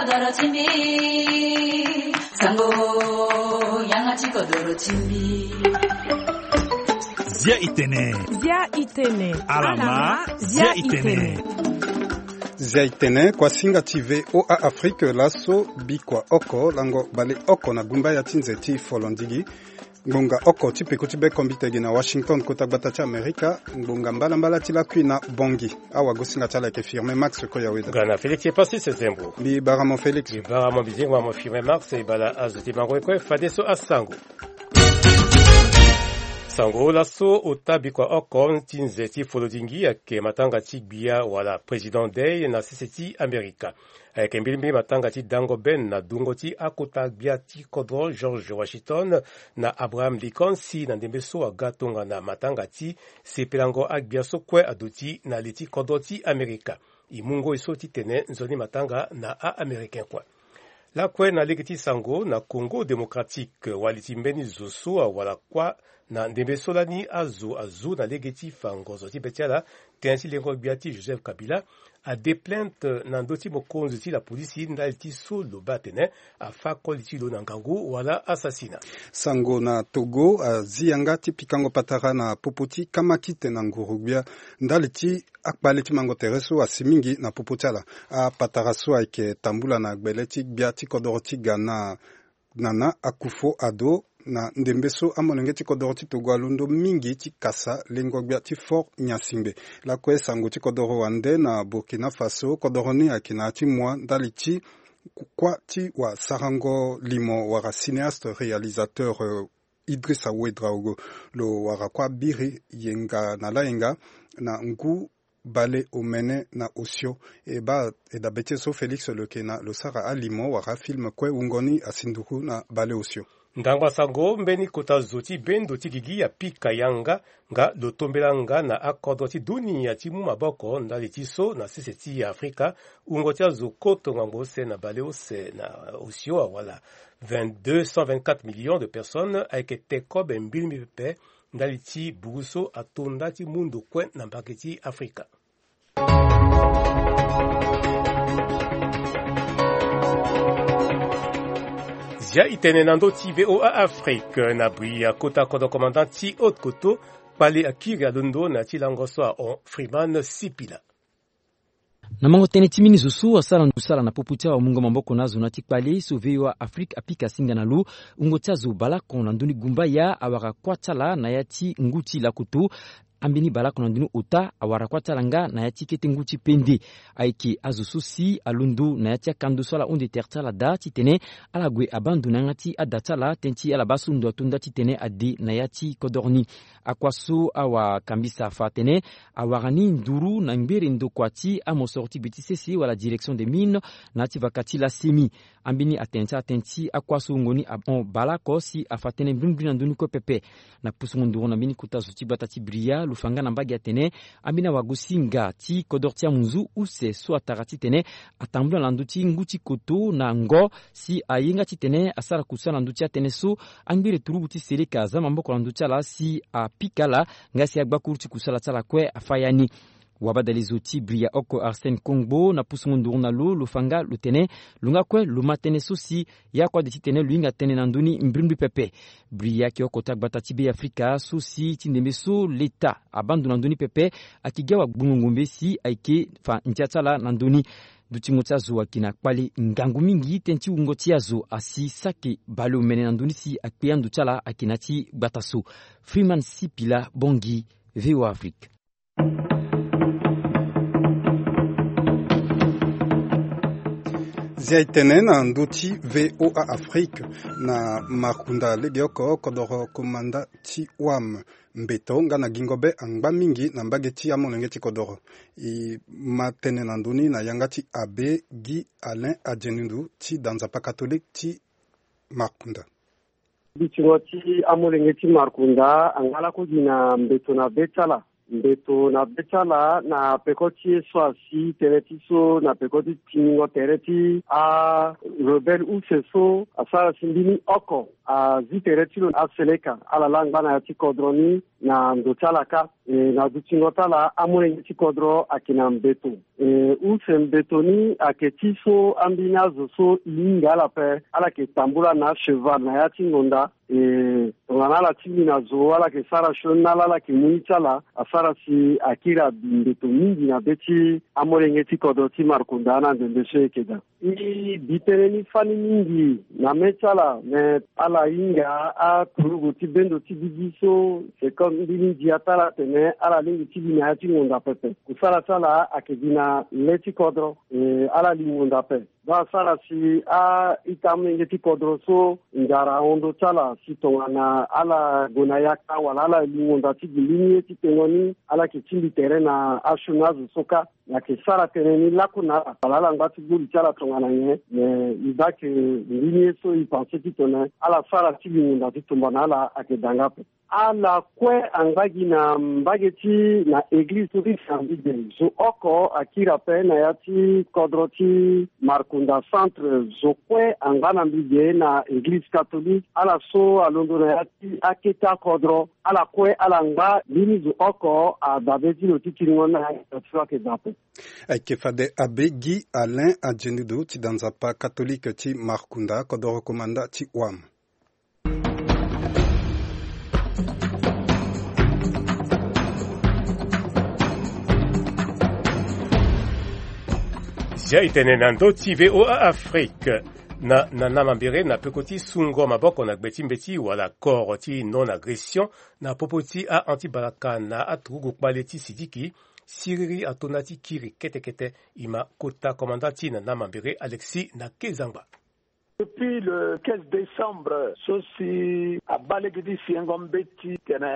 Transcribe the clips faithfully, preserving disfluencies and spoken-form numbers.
Kodoro ti mbi, sango, yanga ti kodoro ti mbi. Zia itene. Zia itene. Alama, zia itene. Zia itene, kuasinga ti V O A Afrique, laso bikua oko lango bale oko na gumba ya ti nze ti folondigi. Ngbonga oko ti peko ti be kombite gi na Washington, kota gbata ti Amerika. Ngbonga mbalambala ti lakui na Bongi. Awagosinga ti ala ayeke Firmin Max Koyaweda. Ga na Félix Epassis Sezembo. Mbi bara mo Félix. Mbi bara mo, mbi zingo mo Firmin Max, e bala azo ti mango e kue fadeso asango. Sango, laso ota bikua oko ti nze ti folondingi ayeke matanga ti gbia wala Président Day na sese ti Amerika. Ayeke mbilimbili matanga ti dango bene na dungo ti akota gbia ti kodro George Washington na Abraham Lincoln, si na ndembe so aga tongana matanga ti sepelango agbia so kue aduti na li ti kodro ti Amerika. E mu ngoi so titene nzoni matanga na a-Américain kue. Lakue na lege ti sango, na Congo Démocratique, wali ti mbeni zo so awara kuâ na ndembe so lani azo azu na lege ti fa ngozo ti be ti ala, tënë ti lengo gbia ti Joseph Kabila, ade plainte na ndö ti mokonzi ti lapolisi ndali ti so lo baa atene afâ koli ti lo na ngangu wala assassina. Sango, na Togo, azi yanga ti pikango patara na popo ti kamakite na nguru-gbia ndali ti akpale ti mango tere so asi mingi na popo ti ala. Apatara so ayeke tambula na gbele ti gbia ti kodoro ti Ghana, Nana Akufo-Addo, na ndembe so amolenge ti kodoro ti Togo alondo mingi ti kasa lengo-gbia ti Fort Gnassingbé. Lakue sango ti kodoro wande na Burkina Faso, kodoro ni ayeke na ya ti mua ndali ti kuâ ti wasarango limo wala cinéaste réalisateur, euh, Idrissa Ouédraogo. Lo wara kuâ biri yenga na layenga na ngu bale omene na osio. E baa, e dabe ti e so Félix lo yeke na lo sara alimo wala afilme kue wungo ni asi nduru na bale osio. Ndangba sango, mbeni kota zo ti bendo ti gigi apika yanga nga lo tombela nga na akodro ti dunia ti mu maboko ndali ti so na sese ti Afrika, wungo ti azo koto ngangu use na bale use na osio awala vingt-deux, cent vingt-quatre millions de personnes ayeke te kobe mbilimbili pepe ndali ti bugu so ato nda ti mu ndo kue na mbage ti Afrika. Zia itene na ndö ti V O A Afrique, na bri ya kota kodro commandant ti Haute-Kotto, kpale akiri alondo na ya ti lango so ahon Freeman Sipila. Na mango tënë ti mbeni zo so asara ndusala na popo ti awamungo maboko na azo na ya ti kpale so V O A Afrique apika singa na lo, wungo ti azo baleoko na ndö ni gumbaya awara kuâ ti ala na ya ti ngu ti lakoto. Ambeni baleoko na ndö ni ota awara kuâ ti ala nga na ya ti kete ngu ti pende. Ayeke azo so si alondo na ya ti akando so ala hon tere ti ala daa titene ala gue abaa ndo na yanga ti ada ti ala, tënë ti ala baa so ndo ato nda titene ade na ya ti kodoro ni. Akua so awakambisa afa atene awara ni nduru na ngbere ndokua ti amosoro ti gbe ti sese wala direction des mines na ya ti vaka ti la semi. Ambeni atene ti ala tënë ti akua so wungo ni ahon baleoko si afa tënë mbrimbri na ndö ni kue pepe. Na pusungo nduru na mbeni kota zo ti gbata ti Bria, lo fa nga na mbage atene ambeni awagosinga ti kodoro ti amunzu use so atara titene atambula na ndö ti ngu ti koto na ngo, si aye nga titene asara kusala na ndö ti atënë so angbere turugu ti seleka aza maboko na ndö ti ala si apika ala, nga si agbakuru ti kusala ti ala kue afa ya ni. Wabadale zo ti Bria oko Arsène Kongbo na pusungo nduru na lo, lo fa nga lo tene lo nga kue lo ma tënë so si ya kue ade titene lo hinga tënë na ndö ni mbrimbri pepe. Bria ayeke oko ti agbata ti Be Afrika so si ti ndembe so leta abaa ndo na ndö ni pepe, ayeke gi awagbongo ngombe si ayeke fa ndia ti ala na ndö ni. Dutingo ti azo ayeke na kpale ngangu mingi tënë ti wungo ti azo asi saki baleomene na ndö ni si akpe ando ti ala ayeke na ya ti gbata so. Freeman Sipila Bongi, V O A Afrique. Zia itene na ndö ti V O A Afrique, na Markunda legeoko kodoro komanda ti wam mbeto nga na gingo be angba mingi na mbage ti amolenge ti kodoro. E ma tënë na ndö ni na yanga ti Abbé Guy Alain Adiendundu ti da nzapa catholique ti Markunda. Dutingo ti amolenge ti Markunda angba lako gi na mbeto na be ti ala. Mbeto na be ti ala na peko ti ye so asi tënë ti so na peko ti tingbingo tere ti arebelle use so asara si mbeni oko azi tere ti lo aseleka ala laa angba na ya ti kodro ni. na ndo ti ala kâ. E na dutingo ti ala amolenge ti kodro ayeke na mbeto. E use mbeto ni ayeke ti so ambeni azo so e hinga ala ape, ala yeke tambula na acheval na ya ti ngonda. E tongana ala tingbi na zo, ala yeke sara sioni na ala, ala yeke mu ni ti ala, asara si akiri abi mbeto mingi na be ti amolenge ti kodro ti Markunda na ndembe so e yeke daa. E bi tënë ni fani mingi na mê ti ala, me ala hinga aturugu ti bendo ti gigi so seconde mbeni ndia ti ala atene ala lingbi ti gi na ya ti ngonda pepe. Kusala ti ala ayeke gi na lê ti kodro. E ala li ngonda ape. Donc asara si a-ita amolenge ti kodro so nzara ahon ndö ti ala si tongana ala gue na yaka wala ala li ngonda ti gi mbeni ye ti tengo ni, ala yeke tingbi tere na asioni azo so kâ. Ayeke sara tënë ni lakue na ala wala ala ngba ti gbuli ti ala tongana nyen, me e baa ke mbeni ye so e pense ti tene ala sara ti li ngonda ti tumba na ala ayeke daa nga ape. Ala kue angba gi na mbage ti na eglize so ti Saint Vide. Zo oko akiri ape na ya ti kodro ti Markunda Centre. Zo kue angba na mbi ge na eglize catholique. Ala so alondo na ya ti akete akodro, ala kue ala ngba. Mbeni zo oko adabe ti lo ti kiringo ni na ya ti lo ayeke daa ape. Ayeke fade abe Guy Alain Adjendudu ti da nzapa catholique ti Markunda, kodoro komanda ti Wam. Zia e tene na ndö ti V O A Afrique. Na, na, na mambere na peko ti sungo maboko na gbe ti mbeti wala accord ti non-agression na popo ti a-anti-balaka na aturugu kpale ti Sidiki, siriri ato na ti kiri kete kete. E ma kota komanda ti na, na mambere Alexis na Kezangba. Depuis le quinze décembre so si abaa lege ti siengo mbeti tene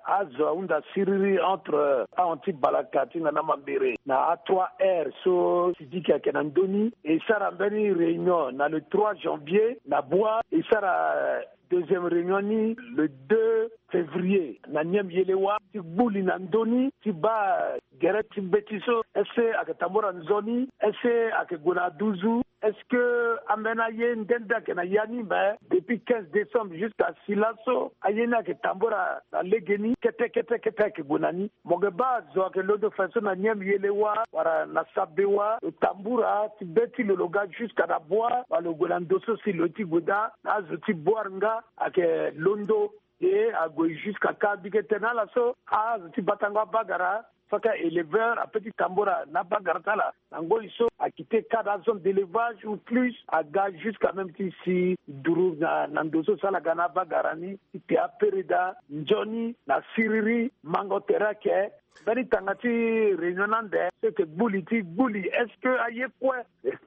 azo ahunda siriri entre a-anti-balaka ti na, na mambere na a trois R so Sidiki ayeke na ndö ni, e sara mbeni réunion na le trois janvier na Bois, e sara deuxième réunion ni le deux février na Niameyelewa ti gbuli na ndö ni ti baa gere ti mbeti so. Est-ce que ayeke tambula nzoni? Est-ce que ayeke gue na aduzu? Est-ce que ambeni aye nde nde ayeke na ya ni? Mais depuis quinze décembre jusqu'à si laso aye ni ayeke tambula na lege ni kete kete kete ayeke gue na ni. Mo yeke baa azo ayeke londo fa so na Niameyelewa wala na Sabewa, lo tambula ti be ti lo lo ga jusqu'à na Bois wala lo gue na ndo so si lo ye ti gue daa na azo ti Boir nga ayeke londo. E ague jusqu'à Kambike tene ala so azo ti batango abagara so ayeke éleveur ape ti tambula na abagara ti ala na ngoi so akite cadre azone d'élevage ou plus aga jusqu'à même ti si duru na, na ndo so si ala ga na abagara ni ti te apere daa nzoni na siriri mango tere ayeke. Mbeni tanga ti réunion ni ande so e yeke gbuli ti gbuli, est-ce que aye kue,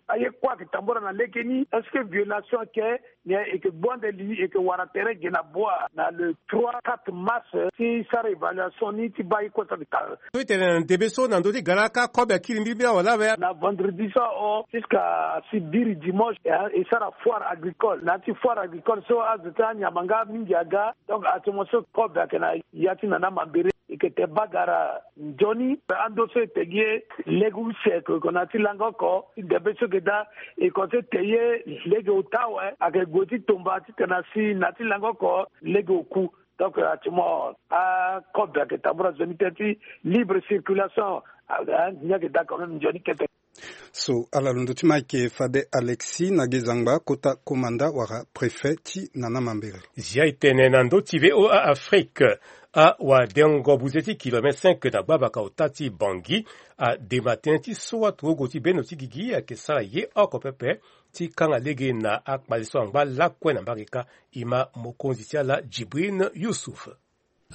aye kue ayeke tambula na lege ni? Est-ce que violation ayeke? Nyen e yeke gbu ande li, e yeke wara tere ge na Bois na le trois quatre mars ti sara évaluation ni ti baa ye kue so ayeke ka. So e tene na ndembe so na ndö ti gara kâ kobe akiri mbirimbiri awe lawe. Na vendredi so aho jusqu'à si biri dimanche, e, e sara foire agricole. Na ya ti foire agricole so azo ti anyama nga mingi aga. Donc actuellement so kobe ayeke na ya ti na, na mambere. E yeke te bagara nzoni ando so e te gi ye lege use ko, e ko na ya ti langa oko ti debe so e yeke daa. E ko so e te ye lege ota awe ayeke gue ti tomba titene asi na ya ti langa oko lege oku. Donc actuellement akobe ayeke tambula nzoni tënë ti libre circulation. A, a, ni ayeke daa quand même nzoni kete. So ala londo ti ma ayeke fade Alexis na Gezangba, kota komanda wala préfet ti na, na mambere. Zia e tene na ndö ti V O A Afrique. Awadengo buze ti kilomètre cinq na gbavaka ota ti Bangui adema tënë ti so aturugu ti bendo ti gigi ayeke sara ye oko pepe ti kanga lege na akpale so angba lakue na mbage kâ. E ma mokonzi ti ala Djibrine Youssouf.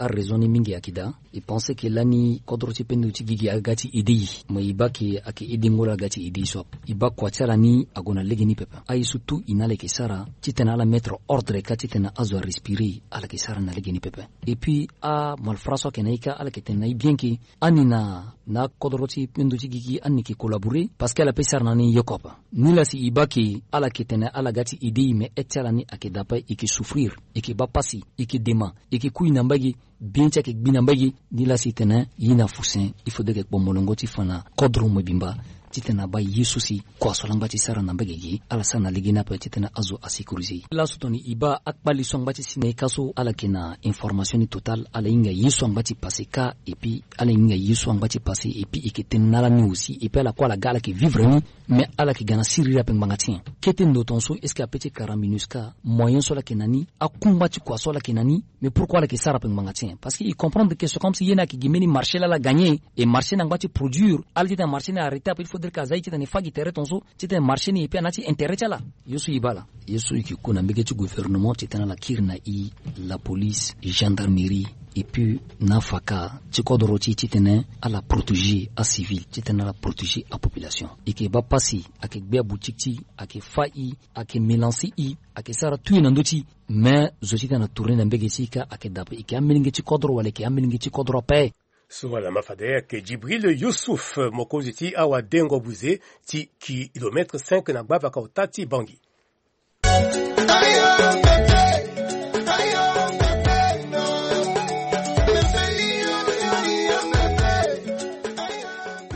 Araison ni mingi ayeke daa. E pense ke lani kodro ti pendo ti gigi aga ti aidé e. Mo e baa ke ayeke aidé ngolo aga ti aidé e so ape. E baa kua ti ala ni ague na lege ni pepe. Aye so tout e na ala yeke sara titene ala mettre ordre kâ titene azo arespirer ala yeke sara na lege ni pepe. Et puis amalfra so ayeke na e kâ ala yeke tene na e bien ke ani na na akodro ti pendo ti gigi ani yeke collaborer parce que ala pe sara na ni yoko ape. Nilaa si e baa ke ala yeke tene ala ga ti aidé e me aide ti ala ni ayeke daa ape, e yeke souffrir, e yeke baa pasi, e yeke dema, e yeke kui na mbage, bien ti ayeke gbi na mbage. Nilaa si e tene e na fusen, il faut de yeke kpo molongo ti fa na kodro mobimba. titene abaa ye so si kua so ala ngba ti sara na mbage gi ala sara na lege ni ape titene azo asécurisé e. Laso tongana e baa akpali so angba ti si na e ka so ala yeke na information ni total, ala hinga ye so angba ti passé ka, et puis ala hinga ye so angba ti passé, et puis e yeke tene na ala ni aussi, et puis ala kue ala ga ala yeke vivre ni. Mais ala yeke ga na siriri ape ngbanga ti nyen? Kete ndo tongaso est-ce que ape ti kara MINUSCA moyen so ala yeke na ni, akungba ti kua so ala yeke na ni? Mais pourquoi ala yeke sara ape ngbanga ti nyen? Parce que e comprendre que c'est comme si ye ni ayeke gi mbeni marché laa ala gagné, et marché ni angba ti produire. Ala ti tena marché ni arrêté ape, il faudrait que aza ye titene e fa gi tere tongaso titene marché ni e pe ana ti intérêt ti ala. Ye so e baa laa, ye so e yeke ku na mbage ti gouvernement titene ala kiri na e, la police, gendarmerie, et puis na afaka ti kodoro ti e titene ala protéger acivil, titene ala protéger apopulation. E yeke baa pasi, ayeke gbe aboutique ti e, ayeke fa e, ayeke mélancer e, ayeke sara tout e na ndö ti e. Mais zo titene atourner na mbage ti e ka ayeke daa ape, e yeke amelenge ti kodro wala e yeke amelenge ti kodro ape? So ala ma fade ayeke Djibril Youssouf, mokonzi ti awadengo buze ti kilomètre cinq na gbavaka ota ti Bangui.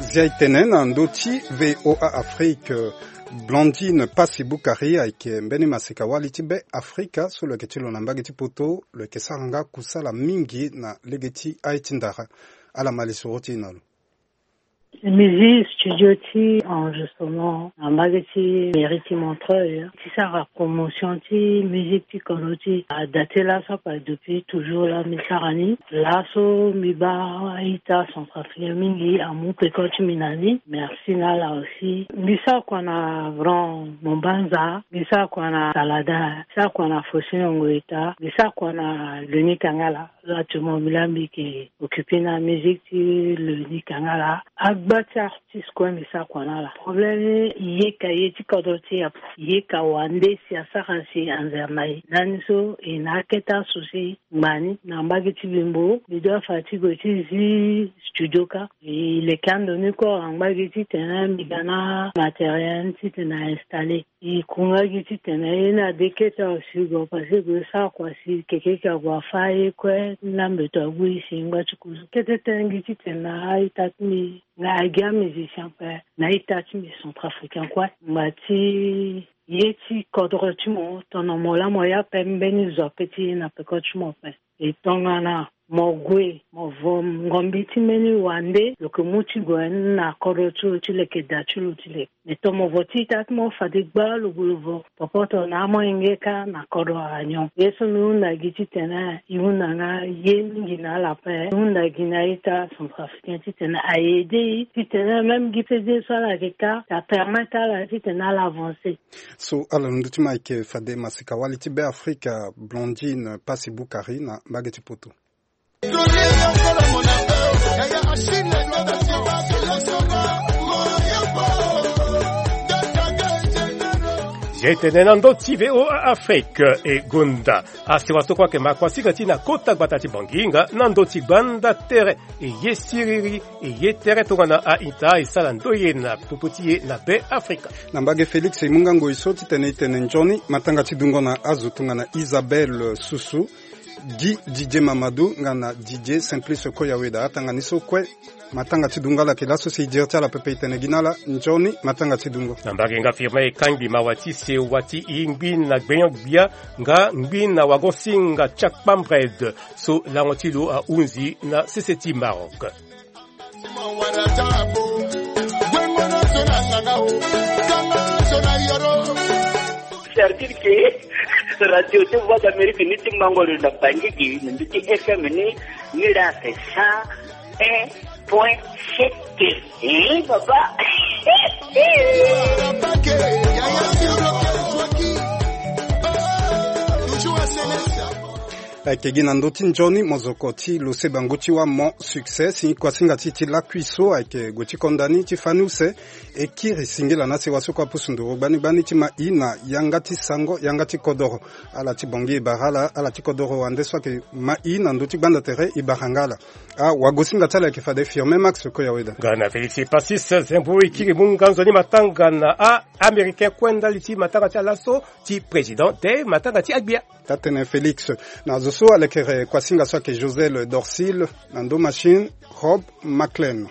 Zia e tene na ndö ti V O A Afrique, Blandine Passy Boukari ayeke mbeni maseka-wali ti Be Afrika so lo yeke ti lo na mbage ti poto, lo yeke sara nga kusala mingi na lege ti aye ti ndara. Ala ma lisoro ti e na lo. Mi zi studio ti enregistrement na mbage ti mairie ti Montreuil ti sara promotion ti musique ti kodro ti e. Ada ti laso ape depuis toujours laa mi sara ni. Laso mi baa a-ita centrafricain mingi amu peko ti mi na ni. Merci na ala aussi. Mbi sara kua na Grand Mombanza, mbi sara kua na Salada, mbi sara kua na Faustin Ongoyeta, mbi sara kua na Leni Kangala. Là actuellement mbi laa mbi yeke occupé na musique ti Leni Kangala. Agba ti artiste kue mbi sara kua na ala. Problème ni, e yeka ye ti kodro ti e ape. E yeka wande si asara si anzere na e. Lani so e na akete aso si ngba ni na mbage ti Bembo, mbi doit fa ti gue ti zi studio kâ. E leke ando ni kue angba gi titene mbi ga na matériel titene a installer. E ku nga gi titene ye ni ade kete awe si gue, parce que gue sara kua si keke yeke ague afa ye kue, ni la mbeto ague e si e ngba ti kuzu. Kete tënë gi titene na a-ita ti mbi nga agi amusicien ape na a-ita ti mbi centrafricain kue. Ngba ti ye ti kodro ti mo, tongana mo laa mo ye ape, mbeni zo ape ti ye na peko ti mo ape. E tongana mo gue, mo vo ngombi ti mbeni wande, lo yeke mu ti gue na kodro ti lo ti leke, da ti lo ti leke. Me tongana mo vo ti ita ti mo fade gba lo gue lo vo popoto na amolenge kâ na kodro anyon. Ye so mbi hunda gi titene e hunda nga ye mingi na ala ape. E hunda gi na ita centrafricain titene a aidé e titene même gi fede so ala yeke kâ, ça permettre ala titene ala avancer. So ala na ndö ti mo ayeke fade masika-wali ti Be Afrika, Blondine Passy Boukari na mbage ti poto. Zia e tene na ndö ti V O A Afrique, e gonda asewa so kue ayeke ma kuasinga ti e na kota gbata ti Bangui nga na ndö ti gbanda tere. E ye siriri, e ye tere tongana a-ita e sara ndoye na popo ti e na Be Afrika. Na mbage Félix e mu nga ngoi so titene e tene nzoni matanga ti dungo na azo tongana Isabelle Susu, Guy Didier Mamadou nga na Didier Simplice Koyaweda. Atanga ni so kue, matanga ti dungo ala yeke laso si e diri ti ala pepe. E tene gi na ala nzoni matanga ti dungo. Na mbage nga Firmin e kangbi mawa ti sewa ti e ngbi na gbenyo-gbia nga ngbi na wagosinga ti akpambred so lango ti lo ahunzi na sese ti Maroc. C'est-à-dire que radio ti Voix d'Amérique ni ti mango lo na Bangui gi na mbi ti F M ni, ni la c'est cent un point sept. Eh, papa. Ayeke gi na ndö ti nzoni mozoko ti lo se bangu ti wâ mo succès si kuasinga ti e ti lakui so ayeke gue ti konda ni ti fani use. E kiri singila na sewa so kue apusu nduru gbani gbani ti ma e na yanga ti sango, yanga ti kodoro. Ala ti Bangui e bara ala, ala ti kodoro wande so ayeke ma e na ndö ti gbanda tere e bara nga ala. Awagosinga ti ala ayeke fade Firmin Max Koyaweda. Nga na Félix Passis Zembo e kiri mu nga nzoni matanga na a-Américain kue ndali ti matanga ti ala so ti président te matanga ti agbia. Taa-tënë Félix. Na zo so alekere kuasinga so ayeke Josel Dorcil, na ndo machine Rob Maclean.